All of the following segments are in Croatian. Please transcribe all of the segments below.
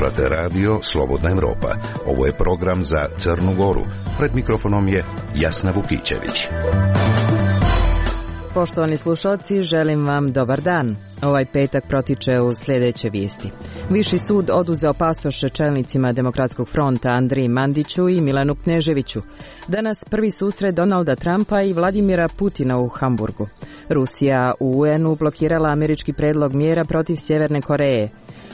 Slušate radio Slobodna Evropa. Ovo je program za Crnu Goru. Pred mikrofonom je Jasna Vukićević. Poštovani slušalci, želim vam dobar dan. Ovaj petak protiče u sljedeće vijesti. Viši sud oduzeo pasoše čelnicima Demokratskog fronta Andriji Mandiću i Milanu Kneževiću. Danas prvi susret Donalda Trumpa i Vladimira Putina u Hamburgu. Rusija u UN-u blokirala američki predlog mjera protiv Sjeverne Koreje.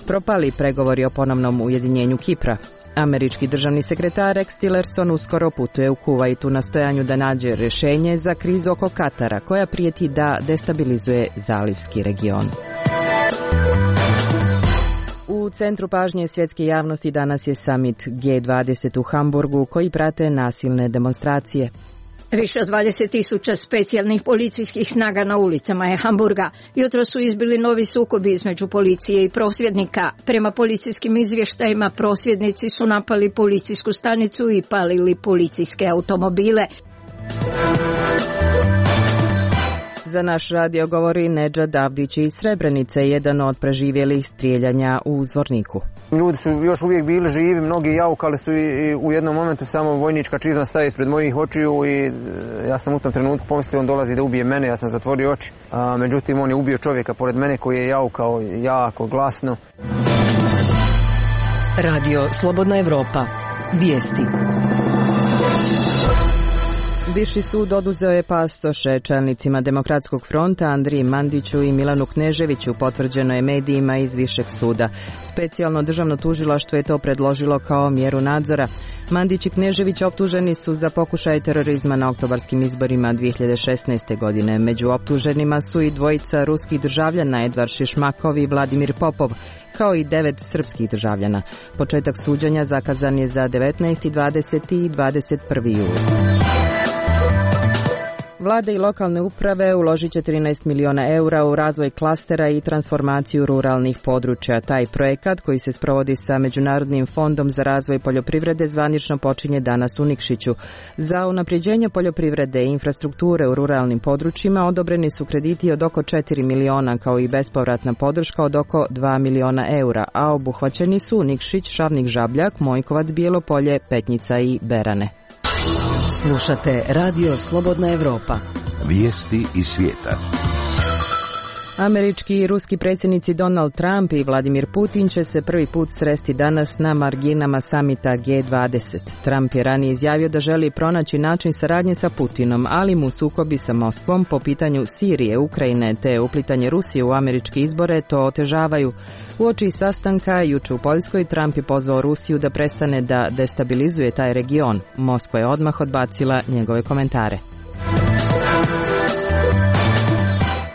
Propali pregovori o ponovnom ujedinjenju Kipra. Američki državni sekretar Rex Tillerson uskoro putuje u Kuvajt u nastojanju da nađe rješenje za krizu oko Katara, koja prijeti da destabilizuje zalivski region. U centru pažnje svjetske javnosti danas je summit G20 u Hamburgu, koji prate nasilne demonstracije. Više od 20.000 specijalnih policijskih snaga na ulicama je Hamburga. Jutro su izbili novi sukobi između policije i prosvjednika. Prema policijskim izvještajima prosvjednici su napali policijsku stanicu i palili policijske automobile. Za naš radio govori Nedžad Avdić iz Srebrenice, jedan od preživjelih strijeljanja u Zvorniku. Ljudi su još uvijek bili živi, mnogi jaukali su i u jednom momentu samo vojnička čizma staje ispred mojih očiju i ja sam u tom trenutku pomislio on dolazi da ubije mene, ja sam zatvorio oči. Međutim, on je ubio čovjeka pored mene koji je jaukao jako glasno. Radio Slobodna Evropa. Vijesti. Viši sud oduzeo je pasoše čelnicima Demokratskog fronta Andriji Mandiću i Milanu Kneževiću, potvrđeno je medijima iz Višeg suda. Specijalno državno tužilaštvo je to predložilo kao mjeru nadzora. Mandić i Knežević optuženi su za pokušaj terorizma na oktobarskim izborima 2016. godine. Među optuženima su i dvojica ruskih državljana, Edvard Šišmakov i Vladimir Popov, kao i 9 srpskih državljana. Početak suđenja zakazan je za 19. 20. i 21. jul. Vlade i lokalne uprave uložit će 13 miliona eura u razvoj klastera i transformaciju ruralnih područja. Taj projekat, koji se sprovodi sa Međunarodnim fondom za razvoj poljoprivrede, zvanično počinje danas u Nikšiću. Za unapređenje poljoprivrede i infrastrukture u ruralnim područjima odobreni su krediti od oko 4 miliona, kao i bespovratna podrška od oko 2 miliona eura, a obuhvaćeni su Nikšić, Šavnik Žabljak, Mojkovac, Bijelo Polje, Petnica i Berane. Slušate Radio Slobodna Evropa. Vijesti iz svijeta. Američki i ruski predsjednici Donald Trump i Vladimir Putin će se prvi put sresti danas na marginama samita G20. Trump je ranije izjavio da želi pronaći način saradnje sa Putinom, ali mu sukobi sa Moskvom po pitanju Sirije, Ukrajine te uplitanje Rusije u američke izbore to otežavaju. Uoči sastanka jučer u Poljskoj Trump je pozvao Rusiju da prestane da destabilizuje taj region. Moskva je odmah odbacila njegove komentare.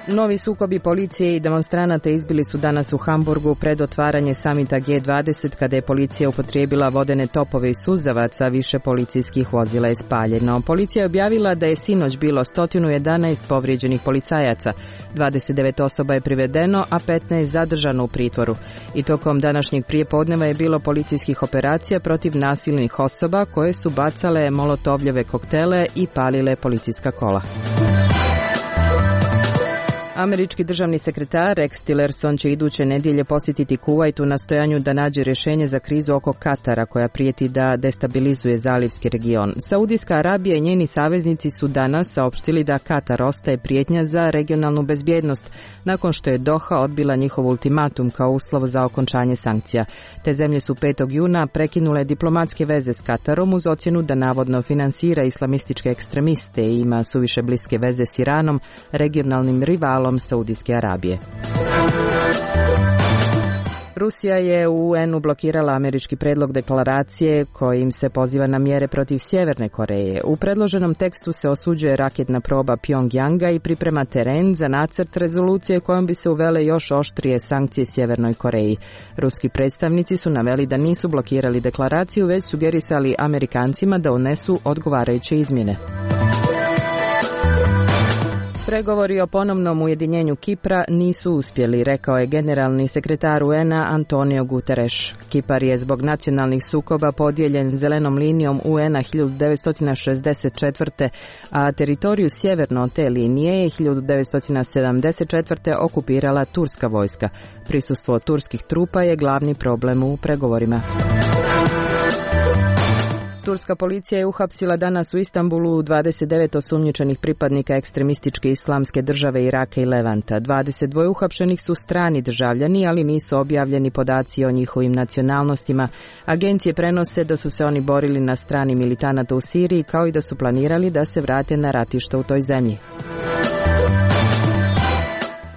Novi sukobi policije i demonstranata izbili su danas u Hamburgu pred otvaranje samita G20, kada je policija upotrijebila vodene topove i suzavaca, više policijskih vozila je spaljeno. Policija je objavila da je sinoć bilo 111 povrijeđenih policajaca, 29 osoba je privedeno, a 15 zadržano u pritvoru. I tokom današnjeg prijepodneva je bilo policijskih operacija protiv nasilnih osoba koje su bacale molotovljeve koktele i palile policijska kola. Američki državni sekretar Rex Tillerson će iduće nedjelje posjetiti Kuvajt u nastojanju da nađe rješenje za krizu oko Katara, koja prijeti da destabilizuje zalivski region. Saudijska Arabija i njeni saveznici su danas saopštili da Katar ostaje prijetnja za regionalnu bezbjednost, nakon što je Doha odbila njihov ultimatum kao uslov za okončanje sankcija. Te zemlje su 5. juna prekinule diplomatske veze s Katarom uz ocjenu da navodno finansira islamističke ekstremiste i ima suviše bliske veze s Iranom, regionalnim rivalom Saudijske Arabije. Rusija je u UN-u blokirala američki predlog deklaracije kojim se poziva na mjere protiv Sjeverne Koreje. U predloženom tekstu se osuđuje raketna proba Pjongjanga i priprema teren za nacrt rezolucije kojom bi se uvele još oštrije sankcije Sjevernoj Koreji. Ruski predstavnici su naveli da nisu blokirali deklaraciju, već sugerisali Amerikancima da unesu odgovarajuće izmjene. Pregovori o ponovnom ujedinjenju Kipra nisu uspjeli, rekao je generalni sekretar UN-a Antonio Guterres. Kipar je zbog nacionalnih sukoba podijeljen zelenom linijom UN-a 1964. a teritoriju sjeverno od te linije je 1974. okupirala turska vojska. Prisustvo turskih trupa je glavni problem u pregovorima. Turska policija je uhapsila danas u Istanbulu 29 osumnjičenih pripadnika ekstremističke islamske države Iraka i Levanta. 22 uhapšenih su strani državljani, ali nisu objavljeni podaci o njihovim nacionalnostima. Agencije prenose da su se oni borili na strani militanata u Siriji, kao i da su planirali da se vrate na ratište u toj zemlji.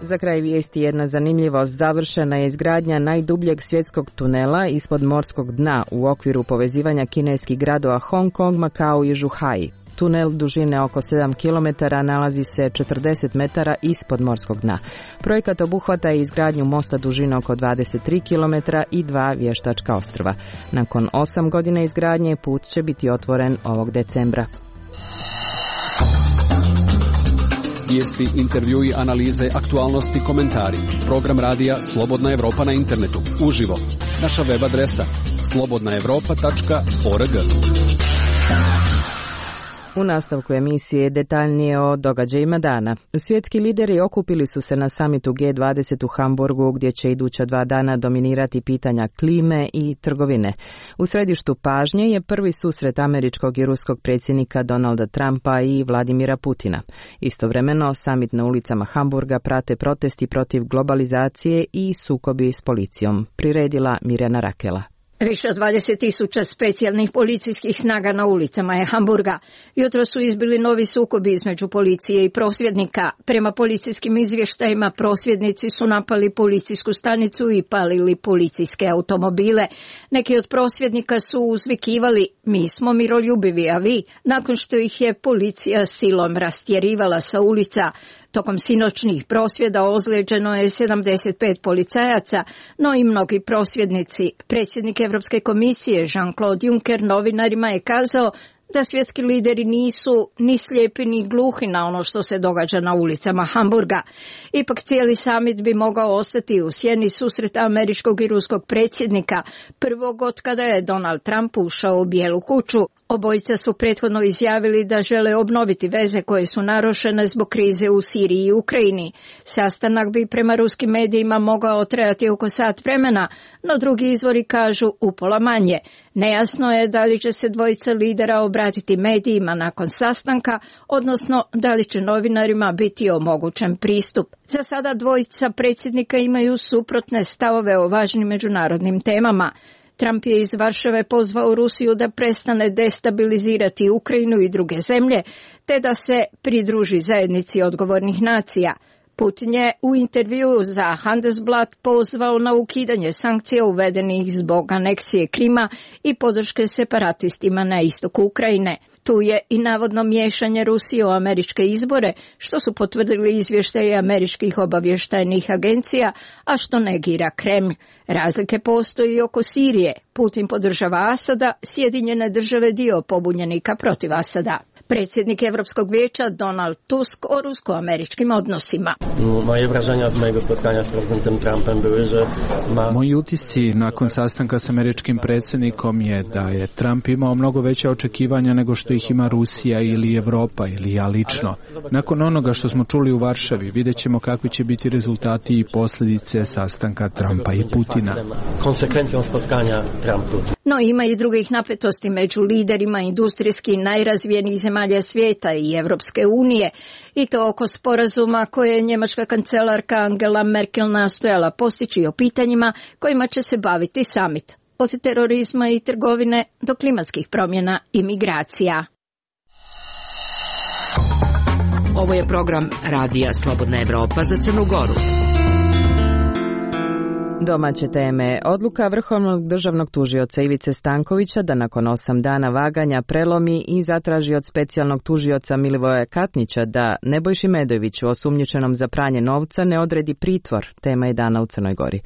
Za kraj vijesti jedna zanimljivost. Završena je izgradnja najdubljeg svjetskog tunela ispod morskog dna u okviru povezivanja kineskih gradova Hong Kong, Makao i Zhuhai. Tunel dužine oko 7 km nalazi se 40 metara ispod morskog dna. Projekat obuhvata i izgradnju mosta dužine oko 23 km i 2 vještačka ostrva. Nakon 8 godina izgradnje put će biti otvoren ovog decembra. Vijesti, intervjui, analize, aktualnosti, komentari. Program radija Slobodna Evropa na internetu. Uživo. Naša web adresa slobodnaevropa.org. U nastavku emisije detaljnije o događajima dana. Svjetski lideri okupili su se na samitu G20 u Hamburgu, gdje će iduća 2 dana dominirati pitanja klime i trgovine. U središtu pažnje je prvi susret američkog i ruskog predsjednika Donalda Trumpa i Vladimira Putina. Istovremeno, samit na ulicama Hamburga prate protesti protiv globalizacije i sukobi s policijom. Priredila Mirjana Rakela. Više od 20.000 specijalnih policijskih snaga na ulicama je Hamburga. Jutro su izbili novi sukobi između policije i prosvjednika. Prema policijskim izvještajima prosvjednici su napali policijsku stanicu i palili policijske automobile. Neki od prosvjednika su uzvikivali: "Mi smo miroljubivi, a vi?" nakon što ih je policija silom rastjerivala sa ulica. Tokom sinoćnih prosvjeda ozlijeđeno je 75 policajaca, no i mnogi prosvjednici. Predsjednik Europske komisije Jean-Claude Juncker novinarima je kazao da svjetski lideri nisu ni slijepi ni gluhi na ono što se događa na ulicama Hamburga. Ipak cijeli samit bi mogao ostati u sjeni susreta američkog i ruskog predsjednika, prvog od kada je Donald Trump ušao u Bijelu kuću. Obojica su prethodno izjavili da žele obnoviti veze koje su narušene zbog krize u Siriji i Ukrajini. Sastanak bi prema ruskim medijima mogao trajati oko sat vremena, no drugi izvori kažu upola manje. Nejasno je da li će se dvojica lidera obratiti medijima nakon sastanka, odnosno da li će novinarima biti omogućen pristup. Za sada dvojica predsjednika imaju suprotne stavove o važnim međunarodnim temama. Trump je iz Varšave pozvao Rusiju da prestane destabilizirati Ukrajinu i druge zemlje, te da se pridruži zajednici odgovornih nacija. Putin je u intervjuu za Handelsblatt pozvao na ukidanje sankcija uvedenih zbog aneksije Krima i podrške separatistima na istoku Ukrajine. Tu je i navodno miješanje Rusije u američke izbore, što su potvrdili izvještaji američkih obavještajnih agencija, a što negira Kremlj. Razlike postoji oko Sirije. Putin podržava Asada, Sjedinjene države dio pobunjenika protiv Asada. Predsjednik Europskog vijeća Donald Tusk o rusko-američkim odnosima. Moje wrażenia z mojego spotkania z prezydentem Trumpem były, że Moji utisci nakon sastanka s američkim predsjednikom je da je Trump imao mnogo veća očekivanja nego što ih ima Rusija ili Evropa ili ja lično. Nakon onoga što smo čuli u Varšavi, vidjet ćemo kakvi će biti rezultati i posljedice sastanka Trumpa i Putina. Konsekwencijom spotkania Trump-Putin. No ima i drugih napetosti među liderima industrijski najrazvijenijih zemalja svijeta i Europske unije, i to oko sporazuma koje je njemačka kancelarka Angela Merkel nastojala postići o pitanjima kojima će se baviti samit, od terorizma i trgovine do klimatskih promjena i migracija. Ovo je program radija Slobodna Evropa za Crnu Goru. Domaće teme. Odluka Vrhovnog državnog tužioca Ivice Stankovića da nakon 8 dana vaganja prelomi i zatraži od specijalnog tužioca Milivoja Katnića da Nebojši Medojeviću, osumnjičenom za pranje novca, ne odredi pritvor, tema je dana u Crnoj Gori.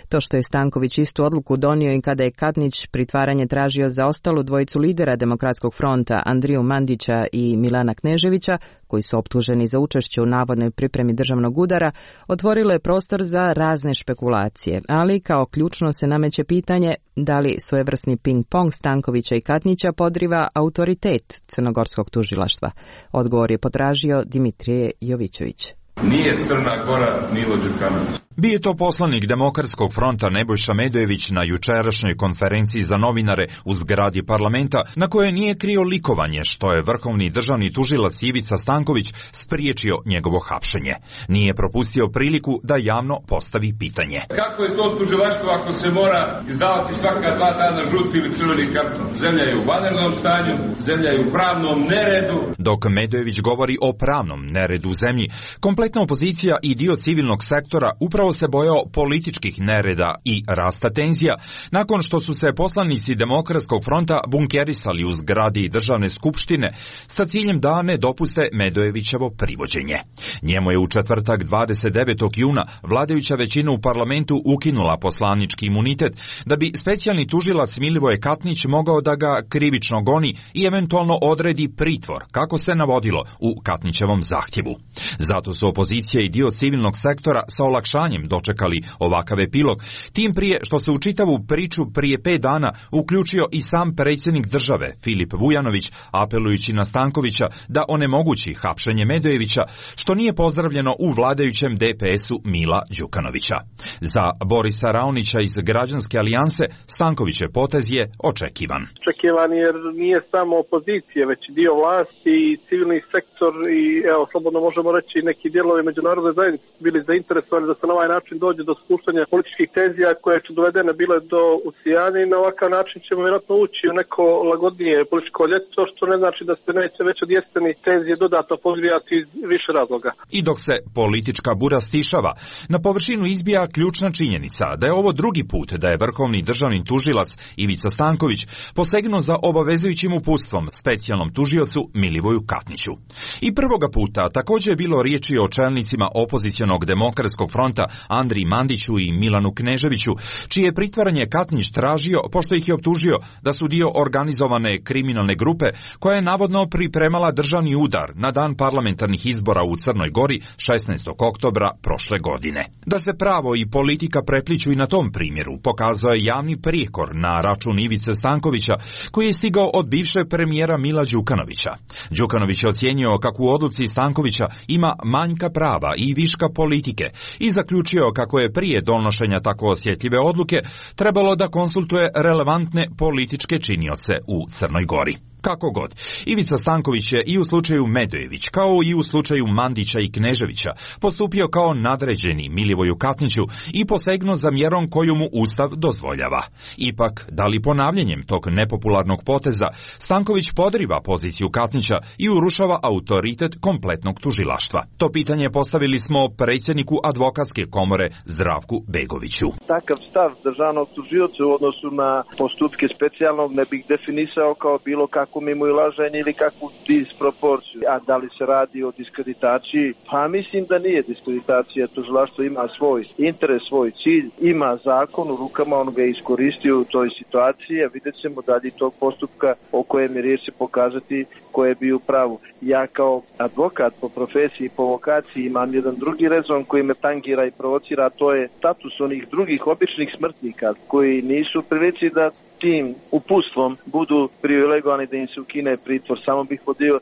To što je Stanković istu odluku donio i kada je Katnić pritvaranje tražio za ostalu dvojicu lidera Demokratskog fronta, Andriju Mandića i Milana Kneževića, koji su optuženi za učešće u navodnoj pripremi državnog udara, otvorilo je prostor za razne špekulacije, ali kao ključno se nameće pitanje da li svojevrsni ping-pong Stankovića i Katnića podriva autoritet crnogorskog tužilaštva. Odgovor je potražio Dimitrije Jovićević. Nije Crna Gora Milo Đukanović. Bio je to poslanik Demokratskog fronta Nebojša Medojević na jučerašnjoj konferenciji za novinare u zgradi parlamenta, na kojoj nije krio likovanje što je vrhovni državni tužilac Ivica Stanković spriječio njegovo hapšenje. Nije propustio priliku da javno postavi pitanje. Kako je to tužilaštvo ako se mora izdavati svaka 2 dana žuti ili crveni karton? Zemlja je u vanrednom stanju, zemlja je u pravnom neredu. Dok Medojević govori o pravnom neredu u zemlji, kompletna opozicija i dio civilnog sektora upravo se bojao političkih nereda i rasta tenzija nakon što su se poslanici Demokratskog fronta bunkerisali u zgradi državne skupštine sa ciljem da ne dopuste Medojevićevo privođenje. Njemu je u četvrtak 29. juna vladajuća većina u parlamentu ukinula poslanički imunitet da bi specijalni tužilac Milivoje Katnić mogao da ga krivično goni i eventualno odredi pritvor, kako se navodilo u Katnićevom zahtjevu. Zato su opozicija i dio civilnog sektora sa olakšanjem dočekali ovakav epilog, tim prije što se u čitavu priču prije 5 dana uključio i sam predsjednik države Filip Vujanović, apelujući na Stankovića da onemogući hapšenje Medojevića, što nije pozdravljeno u vladajućem DPS-u Mila Đukanovića. Za Borisa Raonića iz Građanske alijanse Stankovićev potez je očekivan. Očekivan jer nije samo opozicije, već dio vlasti i civilni sektor i slobodno možemo reći neki dijelovi međunarodne zajednice bili zainteresovani da se na ovaj način dođe do spuštanja političkih tenzija koje su dovedene bile do usijanja i na ovakav način ćemo vjerojatno ući u neko lagodnije političko ljeto, što ne znači da se neće već od jeseni tenzije dodatno podgrijati iz više razloga. I dok se politička bura stišava, na površinu izbija ključna činjenica da je ovo drugi put da je vrhovni državni tužilac Ivica Stanković posegnuo za obavezujućim uputstvom specijalnom tužiocu Milivoju Katniću. I prvoga puta također je bilo riječi o čelnicima opozicionog Demokratskog fronta Andriji Mandiću i Milanu Kneževiću, čije pritvaranje Katnić tražio pošto ih je optužio da su dio organizovane kriminalne grupe koja je navodno pripremala državni udar na dan parlamentarnih izbora u Crnoj Gori 16. oktobra prošle godine. Da se pravo i politika prepliću i na tom primjeru pokazao je javni prijekor na račun Ivice Stankovića koji je stigao od bivšeg premijera Mila Đukanovića. Đukanović je ocijenio kako u odluci Stankovića ima manjka prava i viška politike i zaključio kako je prije donošenja tako osjetljive odluke trebalo da konsultuje relevantne političke činioce u Crnoj Gori. Kako god, Ivica Stanković je i u slučaju Medojević, kao i u slučaju Mandića i Kneževića, postupio kao nadređeni Milivoju Katniću i posegnuo za mjerom koju mu Ustav dozvoljava. Ipak, da li ponavljanjem tog nepopularnog poteza, Stanković podriva poziciju Katnića i urušava autoritet kompletnog tužilaštva? To pitanje postavili smo predsjedniku advokatske komore Zdravku Begoviću. Takav stav državnog tužioca u odnosu na postupke specijalnog ne bih definisao kao bilo kako mimoilaženje ili kakvu disproporciju. A da li se radi o diskreditaciji? Pa mislim da nije diskreditacija. Tužilaštvo ima svoj interes, svoj cilj, ima zakon u rukama, on ga je iskoristio u toj situaciji, a vidjet ćemo dalje tog postupka o kojem je riječ pokazati ko je bio u pravu. Ja kao advokat po profesiji i po vokaciji imam jedan drugi rezon koji me tangira i provocira, a to je status onih drugih običnih smrtnika koji nisu u prilici da tim uputstvom budu privilegovani da im se ukine pritvor. Samo bih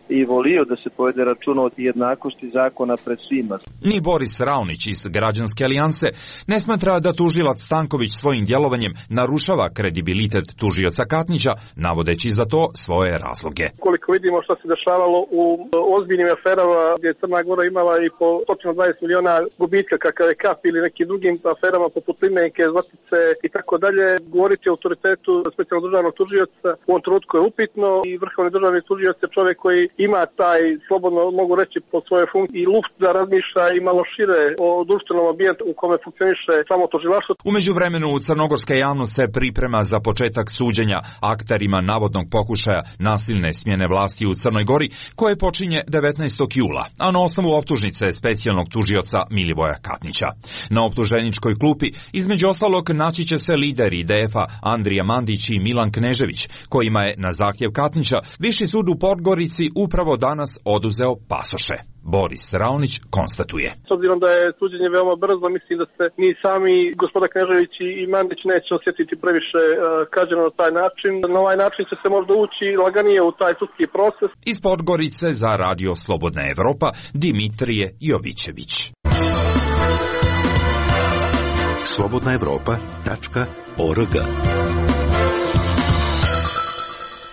i volio da se povede računa od jednakosti zakona pred svima. Ni Boris Raonić iz Građanske alijanse ne smatra da tužilac Stanković svojim djelovanjem narušava kredibilitet tužioca Katnića, navodeći za to svoje razloge. Koliko vidimo što se dešavalo u ozbiljnim aferama gdje je Crna Gora imala i po 120 miliona gubitka kakav je Kap ili nekim drugim aferama poput Limenke, Zlatice i tako dalje, govoriti o autoritetu specijalnog državnog tužioca u ovom trenutku je upitno i vrhovni državni tužioc je čovjek koji ima taj, slobodno mogu reći po svojoj funkciji, i luft da razmišlja i malo šire o društvenom ambijentu u kome funkcioniše samo tužilaštvo. U međuvremenu crnogorska javnost se priprema za početak suđenja akterima navodnog pokušaja nasilne smjene vlasti u Crnoj Gori koje počinje 19. jula, a na osnovu optužnice specijalnog tužioca Milivoja Katnića. Na optuženičkoj klupi između ostalog naći će se lider IDF-a Andrija Mandić Mandić i Milan Knežević, kojima je na zahtjev Katnića Viši sud u Podgorici upravo danas oduzeo pasoše. Boris Raonić konstatuje. S obzirom da je suđenje veoma brzo, mislim da se ni sami gospoda Knežević i Mandić neće osjetiti previše kažnjeno na taj način. Na ovaj način će se možda ući laganije u taj sudski proces. Iz Podgorice za Radio Slobodna Evropa, Dimitrije Jovićević. slobodnaevropa.org.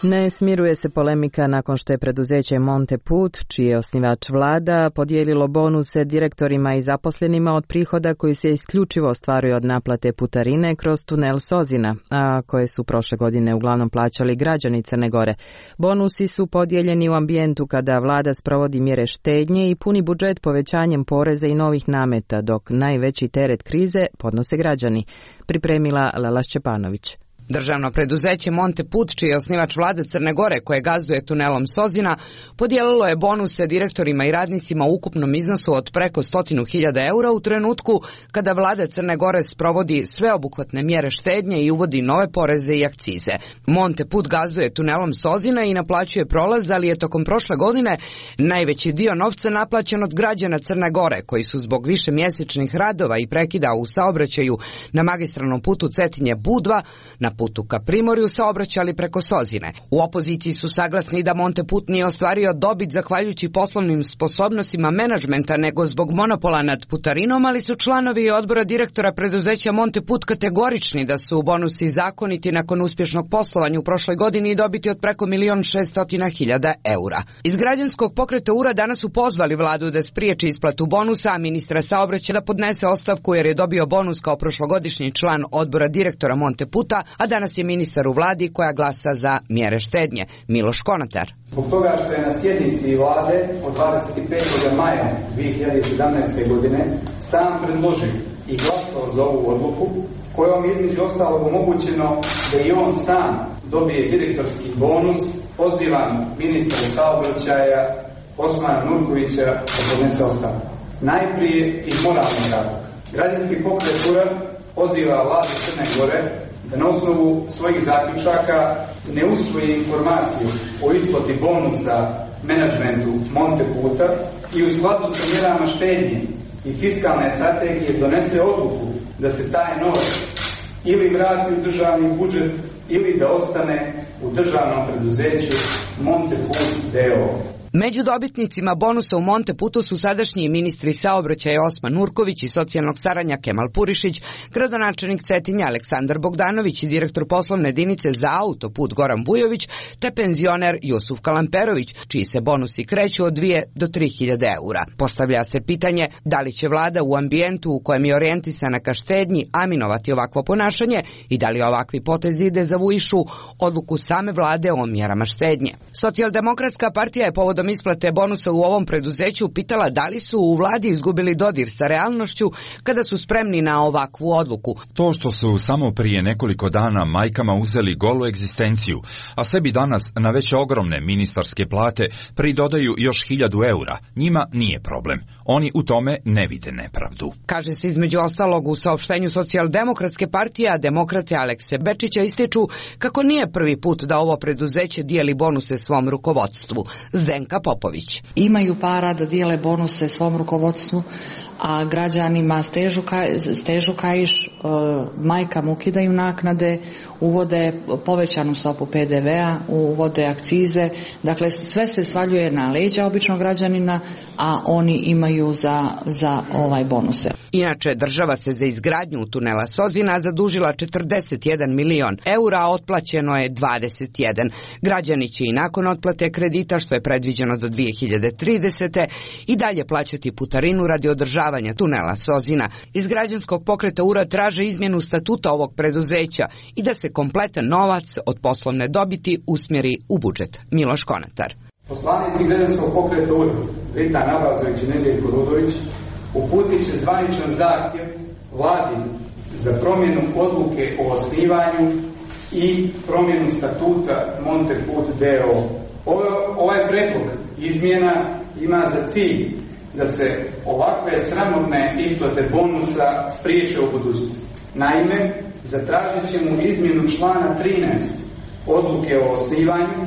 Ne smiruje se polemika nakon što je preduzeće Monteput, čiji je osnivač vlada, podijelilo bonuse direktorima i zaposlenima od prihoda koji se isključivo ostvaruju od naplate putarine kroz tunel Sozina, a koje su prošle godine uglavnom plaćali građani Crne Gore. Bonusi su podijeljeni u ambijentu kada vlada sprovodi mjere štednje i puni budžet povećanjem poreza i novih nameta, dok najveći teret krize podnose građani. Pripremila Lela Šćepanović. Državno preduzeće Monteput, čiji je osnivač vlade Crne Gore koje gazduje tunelom Sozina, podijelilo je bonuse direktorima i radnicima u ukupnom iznosu od preko 100.000 eura u trenutku kada vlada Crne Gore sprovodi sveobuhvatne mjere štednje i uvodi nove poreze i akcize. Monteput gazduje tunelom Sozina i naplaćuje prolaz, ali je tokom prošle godine najveći dio novca naplaćen od građana Crne Gore, koji su zbog višemjesečnih radova i prekida u saobraćaju na magistralnom putu Cetinje-Budva na putu ka Primorju saobraćali preko Sozine. U opoziciji su saglasni da Monteput nije ostvario dobit zahvaljujući poslovnim sposobnostima menadžmenta nego zbog monopola nad putarinom, ali su članovi odbora direktora preduzeća Monteput kategorični da su bonusi zakoniti nakon uspješnog poslovanja u prošloj godini i dobiti od preko 1.600.000 eura. Iz građanskog pokreta URA danas su pozvali vladu da spriječi isplatu bonusa, a ministra saobraćaja da podnese ostavku jer je dobio bonus kao prošlogodišnji član odbora direktora Monteputa, a danas je ministar u vladi koja glasa za mjere štednje, Miloš Konatar. Zbog toga što je na sjednici vlade od 25. maja 2017. godine sam predložio i glasao za ovu odluku, kojom između ostalog omogućeno da i on sam dobije direktorski bonus, pozivam ministra saobraćaja Osmana Nurkovića da podnese ostavku. Najprije iz moralnih razloga. Građanski pokret URA poziva vladu Crne Gore da na osnovu svojih zaključaka ne usvoji informaciju o isplati bonusa menadžmentu Monteputa i u skladu sa mjerama štednje i fiskalne strategije donese odluku da se taj novac ili vrati u državni budžet ili da ostane u državnom preduzeću Monteput d.o.o. Među dobitnicima bonusa u Monteputu su sadašnji ministri saobraćaja Osman Nurković i socijalnog staranja Kemal Purišić, gradonačelnik Cetinja Aleksandar Bogdanović i direktor poslovne jedinice za autoput Goran Bujović, te penzioner Jusuf Kalamperović, čiji se bonusi kreću od 2 do 3.000 eura. Postavlja se pitanje da li će vlada u ambijentu u kojem je orijentisana ka štednji aminovati ovakvo ponašanje i da li ovakvi potezi dezavuišu odluku same vlade o mjerama štednje. Socijaldemokratska partija je povodom isplate bonusa u ovom preduzeću pitala da li su u vladi izgubili dodir sa realnošću kada su spremni na ovakvu odluku. To što su samo prije nekoliko dana majkama uzeli golu egzistenciju, a sebi danas na već ogromne ministarske plate pridodaju još 1.000 eura, njima nije problem. Oni u tome ne vide nepravdu. Kaže se između ostalog u saopštenju Socijaldemokratske partije, a demokrate Alekse Bečića ističu kako nije prvi put da ovo preduzeće dijeli bonuse svom rukovodstvu. Zdenka Popović. Imaju para da dijele bonuse svom rukovodstvu, a građanima stežu kaiš, majkama ukidaju naknade, uvode povećanu stopu PDV-a, uvode akcize, dakle sve se svaljuje na leđa običnog građanina, a oni imaju za bonuse. Inače, država se za izgradnju tunela Sozina zadužila 41 milion eura, a otplaćeno je 21. Građani će i nakon otplate kredita, što je predviđeno do 2030. i dalje plaćati putarinu radi održavanja tunela Sozina. Iz građanskog pokreta URA traže izmjenu statuta ovog preduzeća i da se kompletan novac od poslovne dobiti usmjeri u budžet. Miloš Konatar. Poslanici građanskog pokreta URA, Rita Nabazović i Neđeljko Rudović, uputit će zvaničan zahtjev vladi za promjenu odluke o osnivanju i promjenu statuta Monteput d.o.o. Ovaj predlog izmjena ima za cilj da se ovakve sramotne isplate bonusa spriječe u budućnosti. Naime, zatražit ćemo izmjenu člana 13 odluke o osnivanju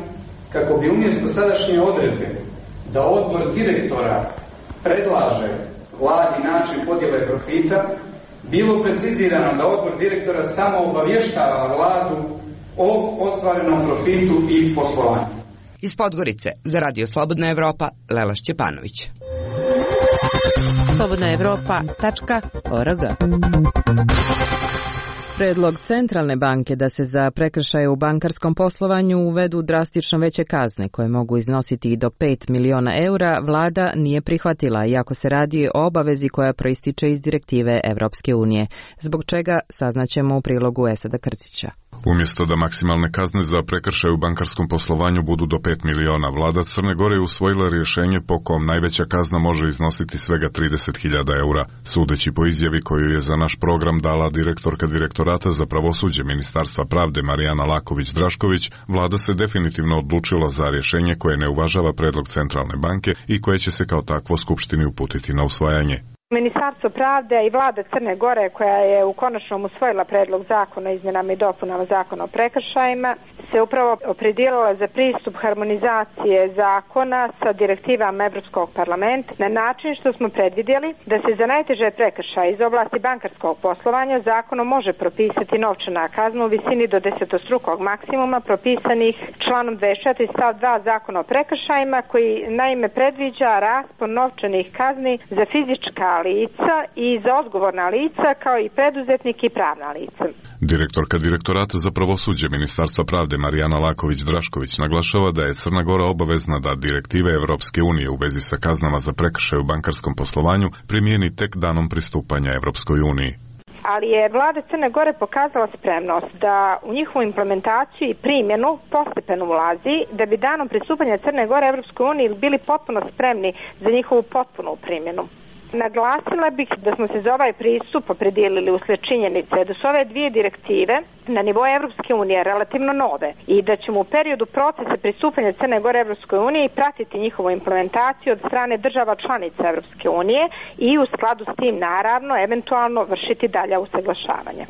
kako bi umjesto sadašnje odredbe da odbor direktora predlaže vladi način podjele profita, bilo precizirano da odbor direktora samo obavještava vladu o ostvarenom profitu i poslovanju. Iz Podgorice za Radio Slobodna Evropa, Lela Šćepanović. slobodnaevropa.org. Predlog Centralne banke da se za prekršaje u bankarskom poslovanju uvedu drastično veće kazne koje mogu iznositi i do 5 miliona eura, vlada nije prihvatila, iako se radi o obavezi koja proističe iz direktive Evropske unije. Zbog čega saznaćemo u prilogu Esada Krcića. Umjesto da maksimalne kazne za prekršaj u bankarskom poslovanju budu do 5 miliona, vlada Crne Gore je usvojila rješenje po kom najveća kazna može iznositi svega 30.000 eura. Sudeći po izjavi koju je za naš program dala direktorka Direktorata za pravosuđe Ministarstva pravde Marijana Laković-Drašković, vlada se definitivno odlučila za rješenje koje ne uvažava predlog Centralne banke i koje će se kao takvo Skupštini uputiti na usvajanje. Ministarstvo pravde i vlada Crne Gore, koja je u konačnom usvojila predlog zakona o izmjenama i dopunama zakona o prekršajima, se upravo opredijelila za pristup harmonizacije zakona sa direktivama Evropskog parlamenta na način što smo predvidjeli da se za najteže prekršaje iz oblasti bankarskog poslovanja zakonom može propisati novčana kazna u visini do 10-strukog maksimuma propisanih članom 24 stav 2 zakona o prekršajima, koji naime predviđa raspon novčanih kazni za fizička lica i za odgovorna lica kao i preduzetnik i pravna lica. Direktorka Direktorata za pravosuđe Ministarstva pravde Marijana Laković-Drašković naglašava da je Crna Gora obavezna da direktive Evropske unije u vezi sa kaznama za prekršaj u bankarskom poslovanju primijeni tek danom pristupanja Evropskoj uniji. Ali je vlada Crne Gore pokazala spremnost da u njihovu implementaciju i primjenu postepeno ulazi, da bi danom pristupanja Crne Gore Evropskoj uniji bili potpuno spremni za njihovu potpunu primjenu. Naglasila bih da smo se za ovaj pristup opredijelili uslijed činjenice da su ove dvije direktive na nivou Evropske unije relativno nove i da ćemo u periodu procesa pristupanja Crne Gore Evropskoj uniji pratiti njihovu implementaciju od strane država članica Evropske unije i u skladu s tim naravno eventualno vršiti dalja usaglašavanja.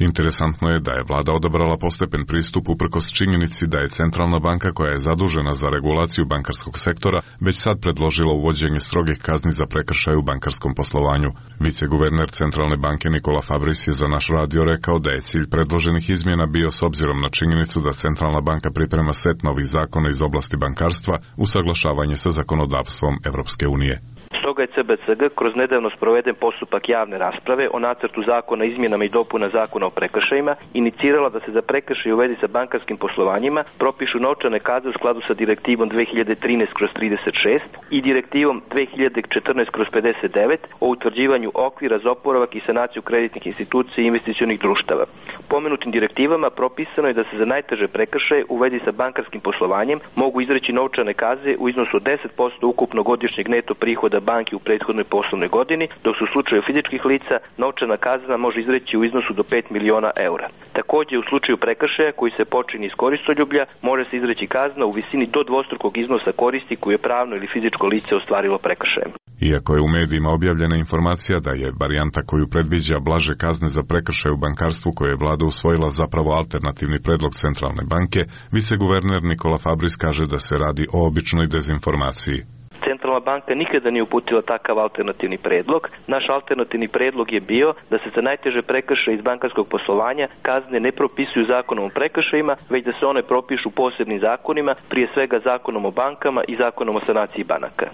Interesantno je da je vlada odabrala postepen pristup uprkos činjenici da je Centralna banka, koja je zadužena za regulaciju bankarskog sektora, već sad predložila uvođenje strogih kazni za prekršaj u bankarskom poslovanju. Viceguverner Centralne banke Nikola Fabris je za naš radio rekao da je cilj predloženih izmjena bio, s obzirom na činjenicu da Centralna banka priprema set novih zakona iz oblasti bankarstva, usaglašavanje sa zakonodavstvom Evropske unije. Stoga je CBCG kroz nedavno sproveden postupak javne rasprave o nacrtu zakona izmjenama i dopuna zakona o prekršajima inicirala da se za prekršaj u vezi sa bankarskim poslovanjima propišu novčane kazne u skladu sa direktivom 2013/36 i direktivom 2014/59 o utvrđivanju okvira za oporavak i sanaciju kreditnih institucija i investicionih društava. Pomenutim direktivama propisano je da se za najteže prekršaje u vezi sa bankarskim poslovanjem mogu izreći novčane kazne u iznosu od 10% ukupnog godišnjeg neto prihoda banki u prethodnoj poslovnoj godini, dok su u slučaju fizičkih lica novčana kazna može izreći u iznosu do 5 miliona eura. Također u slučaju prekršaja koji se počini iz koristoljublja može se izreći kazna u visini do dvostrukog iznosa koristi koju je pravno ili fizičko lice ostvarilo prekršajem. Iako je u medijima objavljena informacija da je varijanta koju predviđa blaže kazne za prekršaj u bankarstvu koje je vlada usvojila zapravo alternativni predlog Centralne banke, viceguverner Nikola Fabris kaže da se radi o običnoj dezinformaciji. Centralna banka nikada nije uputila takav alternativni predlog. Naš alternativni predlog je bio da se za najteže prekršaje iz bankarskog poslovanja kazne ne propisuju zakonom o prekršajima, već da se one propišu posebnim zakonima, prije svega zakonom o bankama i zakonom o sanaciji banaka.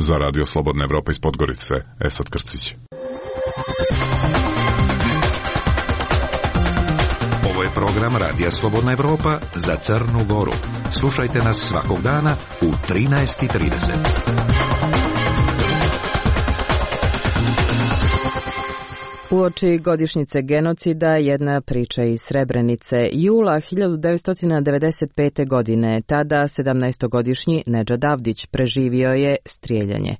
Za Radio Slobodna Evropa iz Podgorice, Esad Krcić. Ovo je program Radija Slobodna Evropa za Crnu Goru. Slušajte nas svakog dana u 13:30. Uoči godišnjice genocida jedna priča iz Srebrenice. Jula 1995. godine, tada 17-godišnji Nedžad Avdić preživio je strijeljanje.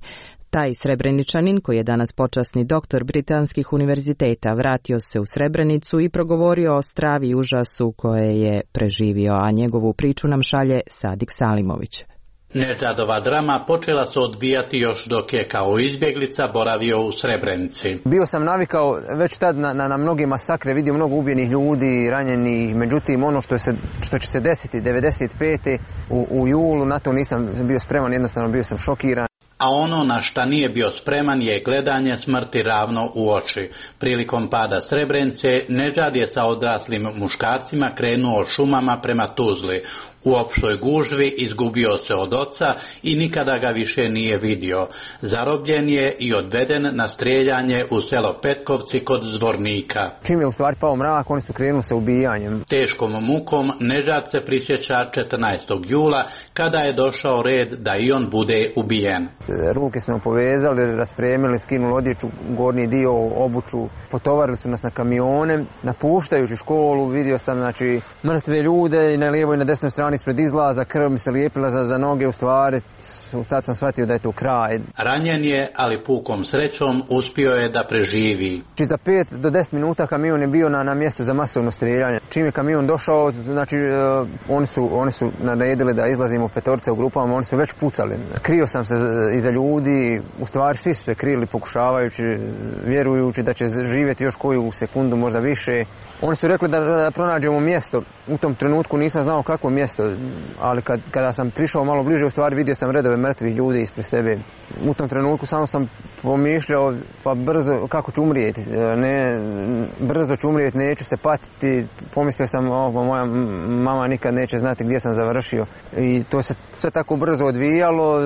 Taj Srebreničanin, koji je danas počasni doktor britanskih univerziteta, vratio se u Srebrenicu i progovorio o stravi i užasu koje je preživio, a njegovu priču nam šalje Sadik Salimović. Nežadova drama počela se odvijati još dok je kao izbjeglica boravio u Srebrenici. Bio sam navikao već tad na mnoge masakre, vidio mnogo ubijenih ljudi, ranjenih, međutim ono što će se desiti 95. u julu, na to nisam bio spreman, jednostavno bio sam šokiran. A ono na šta nije bio spreman je gledanje smrti ravno u oči. Prilikom pada Srebrenice, Nežad je sa odraslim muškarcima krenuo šumama prema Tuzli. U opštoj gužvi izgubio se od oca i nikada ga više nije vidio. Zarobljen je i odveden na strijeljanje u selo Petkovci kod Zvornika. Čim je u stvari pao mrak, oni su krenuli sa ubijanjem. Teškom mukom Nežad se prisjeća 14. jula kada je došao red da i on bude ubijen. Ruke smo povezali, raspremili, skinuli odjeću, gornji dio, obuću, potovarili su nas na kamione. Napuštajući školu vidio sam mrtve ljude i na lijevoj i na desnoj strani ispred izlaza, krv mi se lijepila za noge, u stvari tad sam shvatio da je to kraj. Ranjen je, ali pukom srećom uspio je da preživi. Za 5 do 10 minuta kamion je bio na mjestu za masovno strijeljanje. Čim je kamion došao, oni su naredili da izlazimo petorce u grupama, oni su već pucali. Krio sam se iza ljudi, u stvari svi su se krili pokušavajući, vjerujući da će živjeti još koju sekundu, možda više. Oni su rekli da pronađemo mjesto. U tom trenutku nisam znao kakvo mjesto, ali kada sam prišao malo bliže, u stvari vidio sam redove mrtvih ljudi ispred sebe. U tom trenutku samo sam pomišljao, pa brzo, kako ću umrijeti, brzo ću umrijeti, neću se patiti. Pomislio sam, moja mama nikad neće znati gdje sam završio. I to se sve tako brzo odvijalo,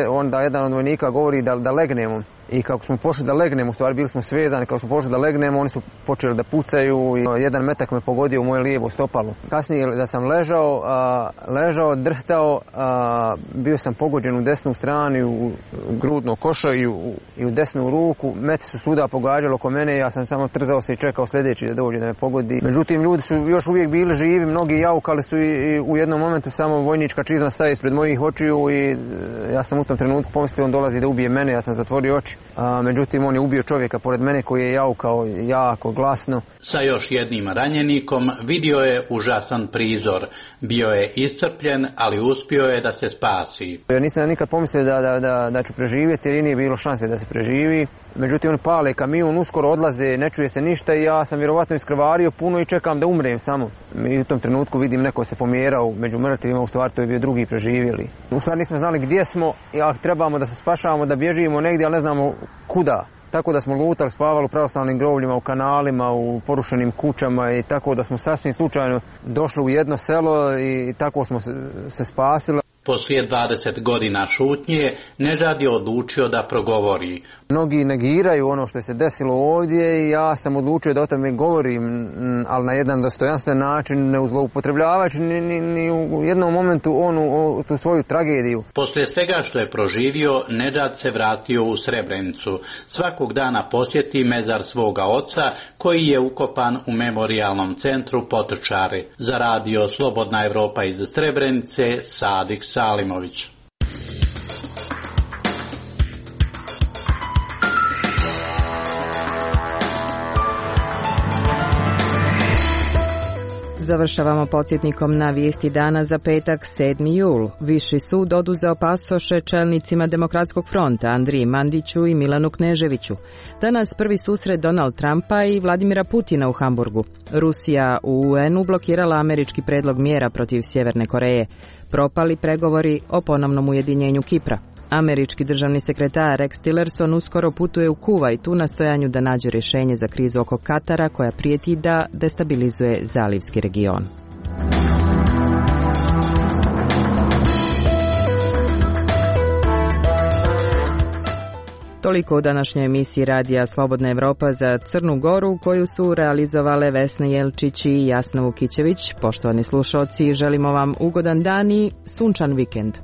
onda jedan od vojnika govori da legnemo. I kako smo pošli da legnemo, u stvari bili smo svezani, kako smo pošli da legnemo, oni su počeli da pucaju i jedan metak me pogodio u moje lijevo stopalo. Kasnije da sam ležao, drhtao, bio sam pogođen u desnu stranu, u grudno košo i u desnu ruku. Meci su svuda pogađali oko mene, ja sam samo trzao se i čekao sljedeći da dođe da me pogodi. Međutim, ljudi su još uvijek bili živi, mnogi jaukali su i u jednom momentu samo vojnička čizma staje ispred mojih očiju i ja sam u tom trenutku pomislio on dolazi da ubije mene, ja sam zatvorio oči. Međutim, on je ubio čovjeka pored mene koji je jaukao jako glasno. Sa još jednim ranjenikom vidio je užasan prizor. Bio je iscrpljen, ali uspio je da se spasi. Ja nisam nikad pomislio da ću preživjeti jer nije bilo šanse da se preživi. Međutim, on pale kamion, uskoro odlaze, ne čuje se ništa i ja sam vjerovatno iskrvario puno i čekam da umrem samo. I u tom trenutku vidim neko se pomjerao među mrtvima, u stvari to je bio drugi preživjeli. U stvari nismo znali gdje smo, a trebamo da se spašavamo, da bježimo negdje, ali ne znamo kuda. Tako da smo lutali, spavali u pravoslavnim grovljima, u kanalima, u porušenim kućama i tako da smo sasvim slučajno došli u jedno selo i tako smo se spasili. Poslije 20 godina šutnje, Nežad je odlučio da progovori. Mnogi negiraju ono što je se desilo ovdje i ja sam odlučio da o tome govorim, ali na jedan dostojanstven način, ne zloupotrebljavajući ni u jednom momentu tu svoju tragediju. Poslije svega što je proživio, Nežad se vratio u Srebrenicu. Svakog dana posjeti mezar svoga oca, koji je ukopan u memorijalnom centru Potočari. Za radio Slobodna Evropa iz Srebrenice, Sadik Salimović. Završavamo podsjetnikom na vijesti dana za petak 7. jul. Viši sud oduzeo pasoše čelnicima Demokratskog fronta Andriji Mandiću i Milanu Kneževiću. Danas prvi susret Donald Trumpa i Vladimira Putina u Hamburgu. Rusija u UN-u blokirala američki predlog mjera protiv Sjeverne Koreje. Propali pregovori o ponovnom ujedinjenju Kipra. Američki državni sekretar Rex Tillerson uskoro putuje u Kuvajt u nastojanju da nađe rješenje za krizu oko Katara koja prijeti da destabilizuje zalivski region. Toliko u današnjoj emisiji radija Slobodna Evropa za Crnu Goru, koju su realizovale Vesna Jelčić i Jasna Vukićević. Poštovani slušalci, želimo vam ugodan dan i sunčan vikend.